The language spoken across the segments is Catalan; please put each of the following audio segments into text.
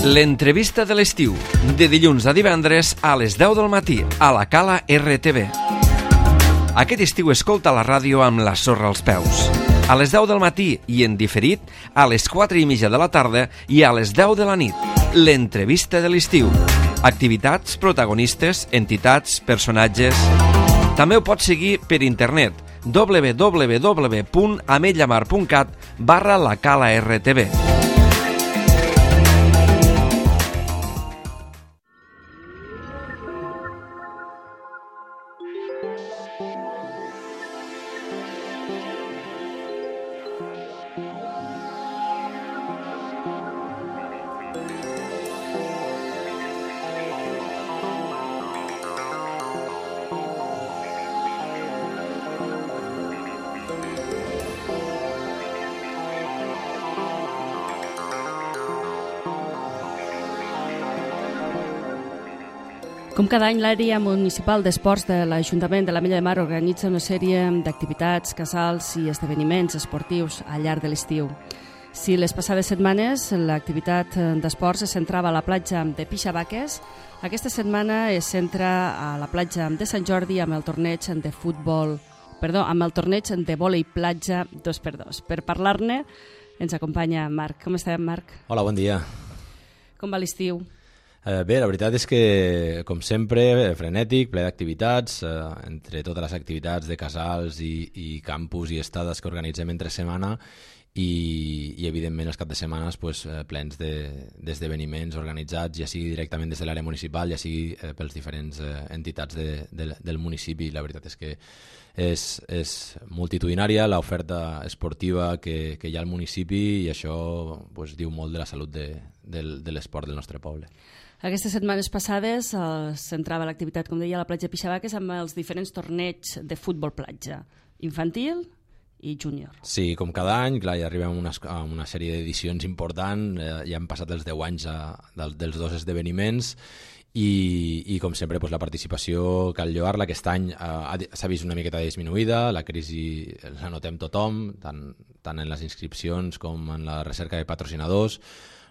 L'entrevista de l'estiu, de dilluns a divendres a les 10 del matí, a la Cala RTV. Aquest estiu escolta la ràdio amb la sorra als peus. A les 10 del matí i en diferit, a les 4:30 de la tarda i a les 10 de la nit. L'entrevista de l'estiu. Activitats, protagonistes, entitats, personatges... També ho pots seguir per internet www.ametlllamar.cat/la-cala-rtv. Com cada any, l'àrea municipal d'esports de l'Ajuntament de l'Ametlla de Mar organitza una sèrie d'activitats, casals i esdeveniments esportius al llarg de l'estiu. Si les passades setmanes l'activitat d'esports es centrava a la platja de Pixabaques, aquesta setmana es centra a la platja de Sant Jordi amb el torneig de vòlei platja 2x2. Per parlar-ne ens acompanya Marc. Com estàs, Marc? Hola, bon dia. Com va l'estiu? Bé, la veritat és que, com sempre, frenètic, ple d'activitats, entre totes les activitats de casals i campus i estades que organitzem entre setmana i evidentment, els caps de setmana plens d'esdeveniments organitzats, ja sigui directament des de l'àrea municipal, ja sigui pels diferents entitats del municipi. La veritat és que és multitudinària l'oferta esportiva que hi ha al municipi i això diu molt de la salut de l'esport del nostre poble. Aquestes setmanes passades es centrava l'activitat, com deia, a la platja de Pixabaques amb els diferents torneigs de futbol platja, infantil i júnior. Sí, com cada any, clar, ja arribem a una sèrie d'edicions important, ja han passat els 10 anys dels dos esdeveniments i com sempre la participació cal lloar-la. Aquest any s'ha vist una miqueta disminuïda, la crisi la notem tothom, tant en les inscripcions com en la recerca de patrocinadors.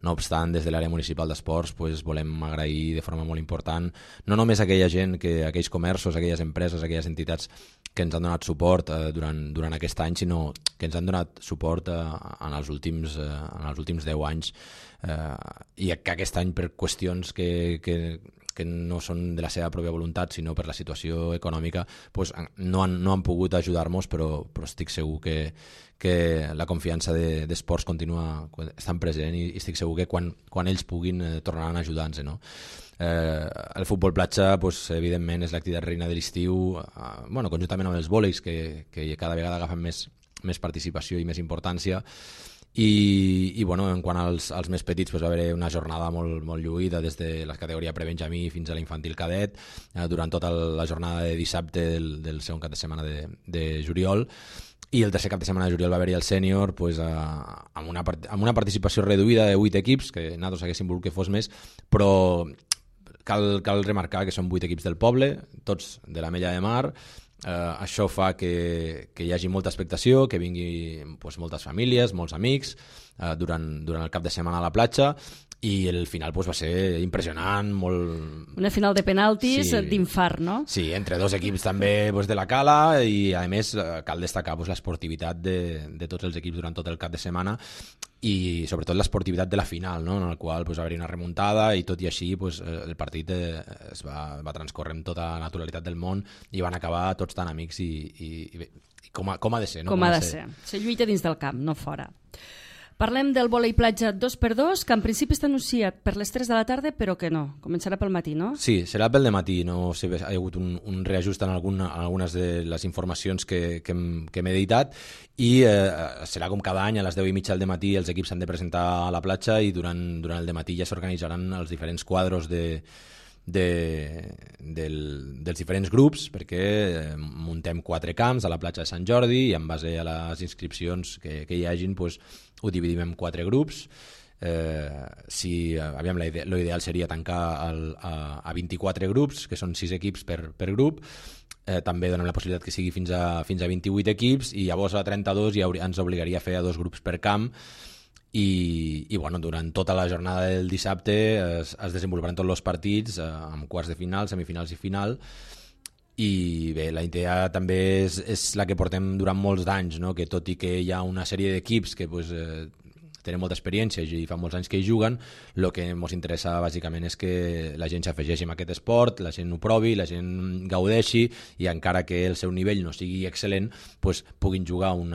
No obstant, des de l'àrea municipal d'esports volem agrair de forma molt important no només a aquella gent, aquells comerços, aquelles empreses, aquelles entitats que ens han donat suport durant aquest any, sinó que ens han donat suport en els últims 10 anys i que aquest any per qüestions que no són de la seva pròpia voluntat sinó per la situació econòmica no han pogut ajudar-nos, però estic segur que la confiança d'esports continua estant present i estic segur que quan ells puguin tornaran a ajudar-nos. El futbol platja, evidentment, és l'activitat reina de l'estiu, conjuntament amb els vòleis, que cada vegada agafen més participació i més importància. I en quant als més petits va haver una jornada molt lluïda des de la categoria prebenjamí fins a l'infantil cadet durant tota la jornada de dissabte del segon cap de setmana de juliol. I el tercer cap de setmana de juliol va haver-hi el sènior amb una participació reduïda de 8 equips, que nosaltres haguéssim volgut que fos més, però cal remarcar que són 8 equips del poble, tots de l'Ametlla de Mar. Això fa que hi hagi molta expectació, que vinguin moltes famílies, molts amics durant el cap de setmana a la platja, i el final va ser impressionant, molt... Una final de penaltis d'infart, no? Sí, entre dos equips també de la Cala i, a més, cal destacar l'esportivitat de tots els equips durant tot el cap de setmana i, sobretot, l'esportivitat de la final, no? En el qual va haver-hi una remuntada i, tot i així, el partit es va transcorrer amb tota la naturalitat del món i van acabar tots tan amics i com ha de ser, no? Com ha de ser. Se lluita dins del camp, no fora. Parlem del vòlei platja 2x2, que en principi està anunciat per les 3 de la tarda, però que no. Començarà pel matí, no? Sí, serà pel matí. No sé, hi ha hagut un reajust en algunes de les informacions que hem editat i serà com cada any a les 10:30 del matí els equips s'han de presentar a la platja i durant el dematí ja s'organitzaran els diferents quadros dels diferents grups, perquè muntem 4 camps a la platja de Sant Jordi i en base a les inscripcions que hi hagin ho dividim en 4 grups. L'ideal seria tancar a 24 grups, que són 6 equips per grup. També donem la possibilitat que sigui fins a 28 equips i llavors a 32 ens obligaria a fer 2 grups per camp i bueno, durant tota la jornada del dissabte es desenvoluparan tots els partits amb quarts de final, semifinals i final, i bé, la idea també és la que portem durant molts d'anys, no? Que tot i que hi ha una sèrie d'equips que pues, tenen molta experiència i fa molts anys que hi juguen, el que ens interessa bàsicament és que la gent s'afegeixi en aquest esport, la gent ho provi, la gent gaudeixi i encara que el seu nivell no sigui excel·lent, pues, puguin jugar un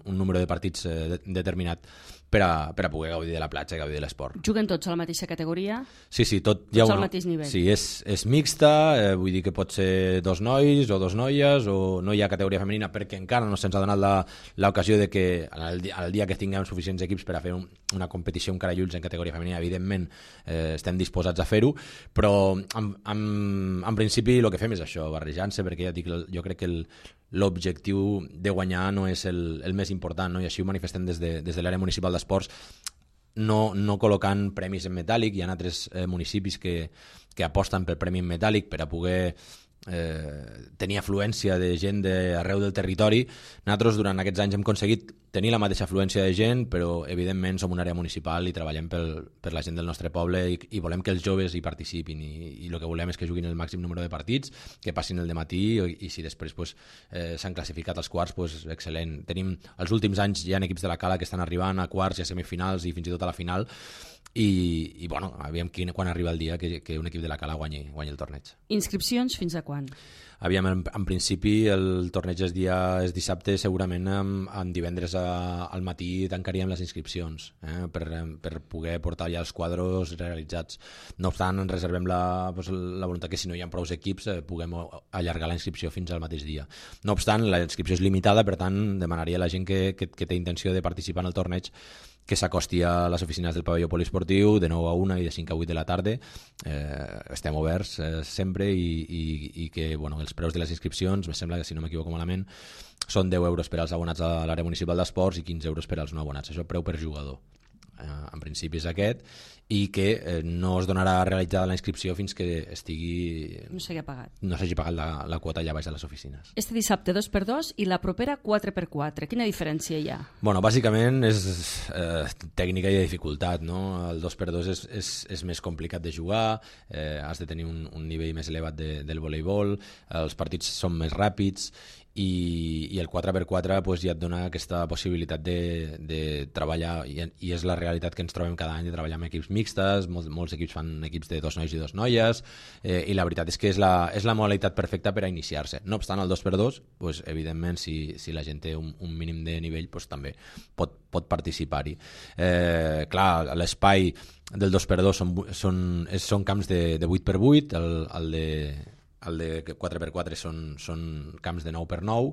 número de partits determinat per a poder gaudir de la platja i gaudir de l'esport. Juguen tots a la mateixa categoria? Sí, tot al mateix nivell? Sí, és mixta, vull dir que pot ser 2 nois o 2 noies, o no hi ha categoria femenina perquè encara no se'ns ha donat l'ocasió de que el dia que tinguem suficients equips per a fer una competició amb carallulls en categoria femenina, evidentment estem disposats a fer-ho, però en principi el que fem és això, barrejar-se, perquè ja dic, jo crec que l'objectiu de guanyar no és el més important, no? I així ho manifestem des de l'àrea municipal d'esports, no col·locant premis en metàl·lic. Hi ha altres municipis que aposten pel premi en metàl·lic per a poder tenir afluència de gent d'arreu del territori. Nosaltres durant aquests anys hem aconseguit tenir la mateixa afluència de gent, però evidentment som una àrea municipal i treballem per la gent del nostre poble i volem que els joves hi participin i el que volem és que juguin el màxim número de partits, que passin el dematí i si després pues, s'han classificat als quarts, pues, excel·lent. Tenim, els últims anys hi ha equips de la Cala que estan arribant a quarts i a semifinals i fins i tot a la final i bueno, aviam quan arriba el dia que un equip de la Cala guanyi el torneig. Inscripcions fins a quan? Aviam, en principi el torneig és dissabte, segurament en divendres al matí tancaríem les inscripcions per poder portar ja els quadros realitzats. No obstant, ens reservem la voluntat que si no hi ha prou equips puguem allargar la inscripció fins al mateix dia. No obstant, la inscripció és limitada, per tant demanaria a la gent que té intenció de participar en el torneig que s'acosti a les oficines del pavelló poliesportiu de 9 a 1 i de 5 a 8 de la tarda. Estem oberts sempre i que bueno, els preus de les inscripcions, em sembla que si no m'equivoco malament, són 10 euros per als abonats a l'àrea municipal d'esports i 15 euros per als no abonats. Això preu per jugador. En principi és aquest, i que no es donarà realitzada la inscripció fins que no s'hagi pagat. No s'hagi pagat la quota allà baix a les oficines. Este dissabte 2x2 i la propera 4x4. Quina diferència hi ha? Bueno, bàsicament és tècnica i de dificultat, no? El 2x2 és més complicat de jugar, has de tenir un nivell més elevat del voleibol, els partits són més ràpids i el 4x4 pues, ja et dona aquesta possibilitat de treballar i és la realitat que ens trobem cada any de treballar amb equips mixtes, molts equips fan equips de 2 nois i 2 noies i la veritat és que és la modalitat perfecta per a iniciar-se. No obstant, el 2x2 pues, evidentment si la gent té un mínim de nivell pues, també pot participar-hi. Clar, l'espai del 2x2 són camps de 8x8, el de 4x4 són camps de 9x9,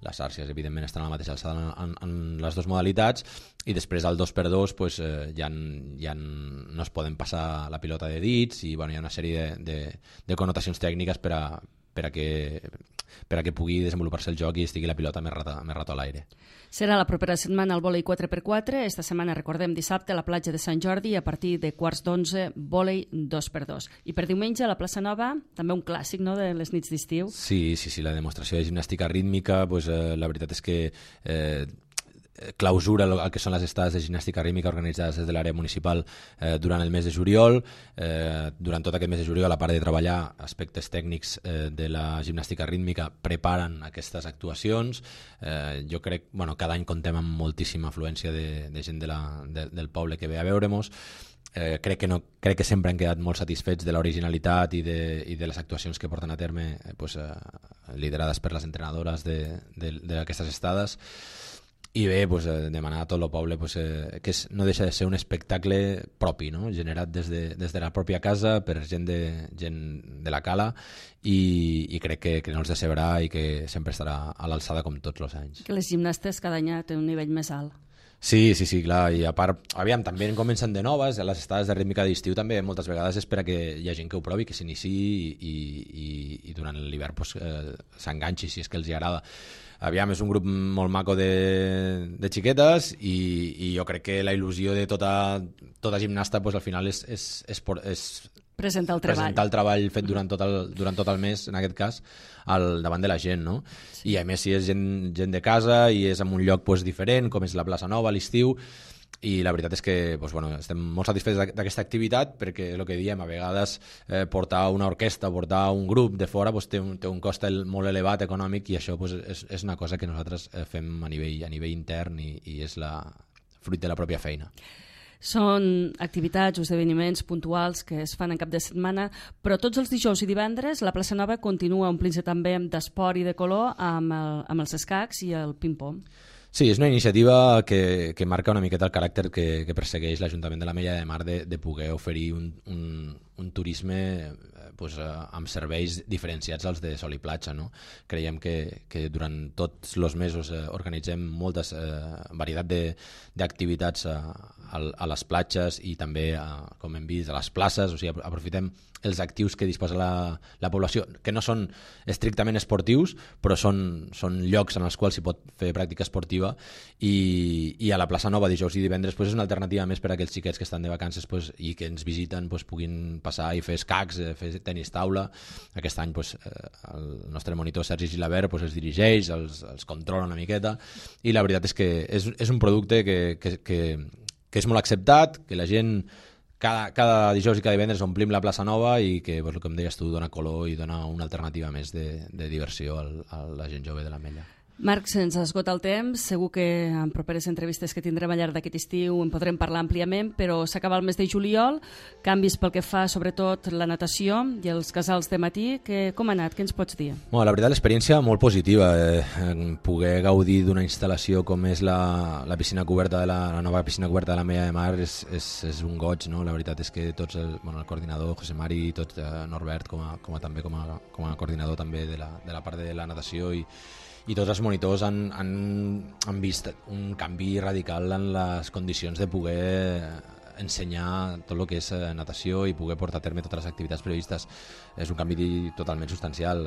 les xarxes evidentment estan a la mateixa alçada en les dues modalitats, i després al 2x2 pues, ja no es poden passar la pilota de dits i bueno, hi ha una sèrie de connotacions tècniques per a que pugui desenvolupar-se el joc i estigui la pilota més rato a l'aire. Serà la propera setmana el vòlei 4x4. Esta setmana, recordem, dissabte a la platja de Sant Jordi a partir de 11:15, vòlei 2x2. I per diumenge a la plaça Nova, també un clàssic, no?, de les nits d'estiu. Sí, la demostració de gimnàstica rítmica, pues, la veritat és que clausura el que són les estades de gimnàstica rítmica organitzades des de l'àrea municipal durant el mes de juliol. Durant tot aquest mes de juliol, a part de treballar aspectes tècnics de la gimnàstica rítmica, preparen aquestes actuacions. Jo crec, cada any contem amb moltíssima afluència de gent del poble que ve a veure-mos. Crec que sempre han quedat molt satisfets de l'originalitat i de les actuacions que porten a terme liderades per les entrenadores d'aquestes estades. I bé, demanar a tot el poble que no deixa de ser un espectacle propi, no? Generat des de la pròpia casa per gent de la Cala i crec que no els decebrà i que sempre estarà a l'alçada com tots els anys. Que les gimnastes cada any tenen un nivell més alt. Sí, clar, i a part, aviam, també comencen de noves, a les estades de rítmica d'estiu també moltes vegades és per a que hi ha gent que ho provi, que s'iniciï i durant l'hivern s'enganxi si és que els hi agrada. Aviam, és un grup molt maco de xiquetes i jo crec que la il·lusió de tota gimnasta al final és presentar el treball fet durant tot el mes, en aquest cas, davant de la gent, no? Sí. I a més, si és gent de casa i és en un lloc diferent, com és la plaça Nova a l'estiu, i la veritat és que estem molt satisfets d'aquesta activitat, perquè el que diem, a vegades portar una orquestra, portar un grup de fora té un cost molt elevat econòmic, i això és una cosa que nosaltres fem a nivell intern i és fruit de la pròpia feina. Són activitats o esdeveniments puntuals que es fan en cap de setmana, però tots els dijous i divendres la plaça Nova continua omplint-se també d'esport i de color amb els escacs i el ping-pong. Sí, és una iniciativa que marca una miqueta el caràcter que persegueix l'Ajuntament de l'Ametlla de Mar de poder oferir un turisme amb serveis diferenciats als de sol i platja. No? Creiem que durant tots els mesos organitzem moltes varietat d'activitats a les platges i també, com hem vist, a les places, o sigui, aprofitem els actius que disposa la població, que no són estrictament esportius, però són llocs en els quals s'hi pot fer pràctica esportiva, i a la plaça Nova dijous i divendres és una alternativa més per a aquells xiquets que estan de vacances i que ens visiten puguin passar i fer escacs, fer tenis taula. Aquest any el nostre monitor Sergi Gilabert els dirigeix, els controla una miqueta, i la veritat és que és un producte que és molt acceptat, que la gent cada dijous i cada divendres omplim la plaça Nova i que, com deies tu, dona color i dona una alternativa més de diversió a la gent jove de l'Ametlla. Marc, se'ns esgota el temps, segur que en properes entrevistes que tindrem al llarg d'aquest estiu en podrem parlar àmpliament, però s'acaba el mes de juliol, canvis pel que fa sobretot la natació i els casals de matí, com ha anat? Què ens pots dir? La veritat, l'experiència molt positiva, poder gaudir d'una instal·lació com és la piscina coberta la nova piscina coberta de l'Ametlla de Mar és un goig, no? La veritat és que tots, el coordinador José Mari, tot Norbert com a coordinador també de la part de la natació i tots els monitors han vist un canvi radical en les condicions de poder ensenyar tot el que és natació i poder portar a terme totes les activitats previstes. És un canvi totalment substancial.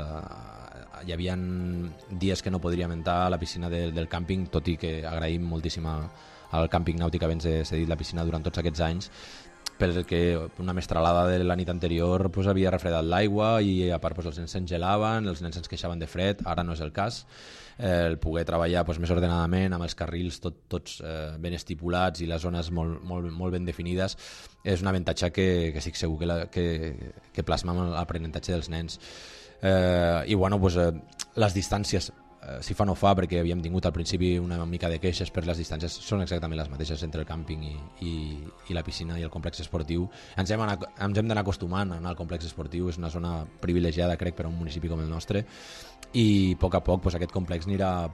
Hi havia dies que no podríem entrar a la piscina del càmping, tot i que agraïm moltíssim al càmping nàutic haver-nos cedit la piscina durant tots aquests anys, perquè una mestralada de la nit anterior havia refredat l'aigua i a part els nens s'engelaven, els nens ens queixaven de fred. Ara no és el cas. El poder treballar més ordenadament amb els carrils tots ben estipulats i les zones molt ben definides és un avantatge que estic segur que plasma amb l'aprenentatge dels nens. I les distàncies si fa no fa, perquè havíem tingut al principi una mica de queixes, per les distàncies són exactament les mateixes entre el càmping i la piscina i el complex esportiu. Ens hem d'anar acostumant a anar al complex esportiu, és una zona privilegiada, crec, per a un municipi com el nostre, i a poc aquest complex anirà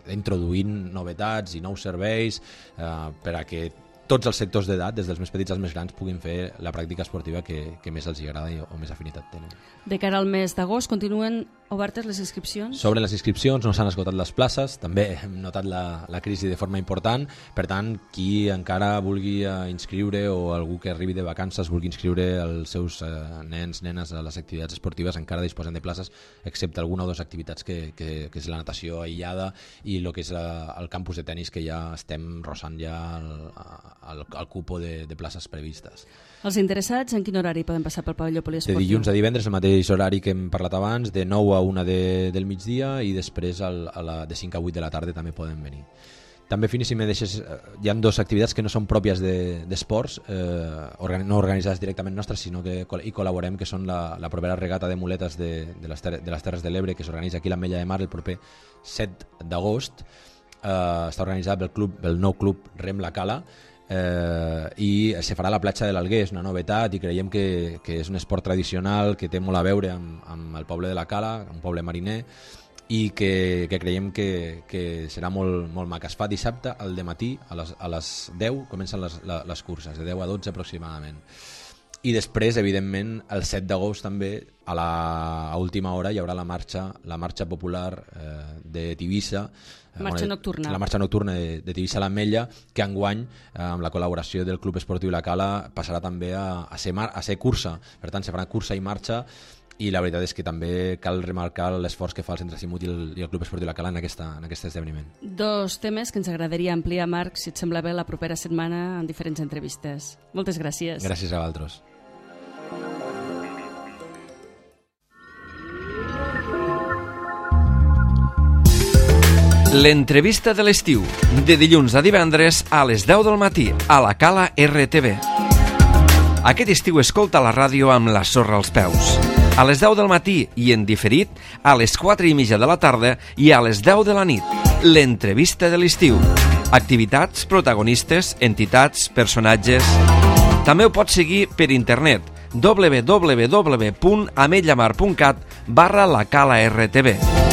introduint novetats i nous serveis per a que tots els sectors d'edat, des dels més petits als més grans, puguin fer la pràctica esportiva que més els agrada o més afinitat tenen. De cara al mes d'agost, continuen obertes les inscripcions? Sobre les inscripcions no s'han esgotat les places, també hem notat la crisi de forma important, per tant, qui encara vulgui inscriure o algú que arribi de vacances vulgui inscriure els seus nens, nenes a les activitats esportives, encara disposen de places, excepte alguna o dues activitats que és la natació aïllada i el que és el campus de tenis, que ja estem rossant ja el cupo de places previstes. Els interessats en quin horari poden passar pel pavelló poliesportiu? De dilluns a divendres, el mateix horari que hem parlat abans, de 9 a 1 del migdia, i després de 5 a 8 de la tarda també poden venir. També, Fini, si me deixes, hi ha dues activitats que no són pròpies d'esports, no organitzades directament nostres, sinó que hi col·laborem, que són la propera regata de muletes de les Terres de l'Ebre, que s'organitza aquí a l'Ametlla de Mar el proper 7 d'agost. Està organitzat pel nou club Rem La Cala, i se farà a la platja de l'Alguer. És una novetat i creiem que és un esport tradicional que té molt a veure amb el poble de la Cala, un poble mariner, i que creiem que serà molt maca. Es fa dissabte al dematí a les 10 comencen les curses, de 10 a 12 aproximadament. I després, evidentment, el 7 d'agost també, a última hora, hi haurà la marxa popular de Tivissa, marxa nocturna. La marxa nocturna de Tivissa a l'Ametlla, que enguany, amb la col·laboració del Club Esportiu La Cala, passarà també a ser cursa. Per tant, se farà cursa i marxa, i la veritat és que també cal remarcar l'esforç que fa el Centre Simut i el Club Esportiu La Cala en aquest esdeveniment. Dos temes que ens agradaria ampliar, Marc, si et sembla bé, la propera setmana en diferents entrevistes. Moltes gràcies. Gràcies a vosaltres. L'entrevista de l'estiu, de dilluns a divendres a les 10 del matí, a la Cala RTV. Aquest estiu escolta la ràdio amb la sorra als peus. A les 10 del matí i en diferit, a les 4:30 de la tarda i a les 10 de la nit. L'entrevista de l'estiu. Activitats, protagonistes, entitats, personatges... També ho pots seguir per internet www.ametlllamar.cat/la Cala RTV.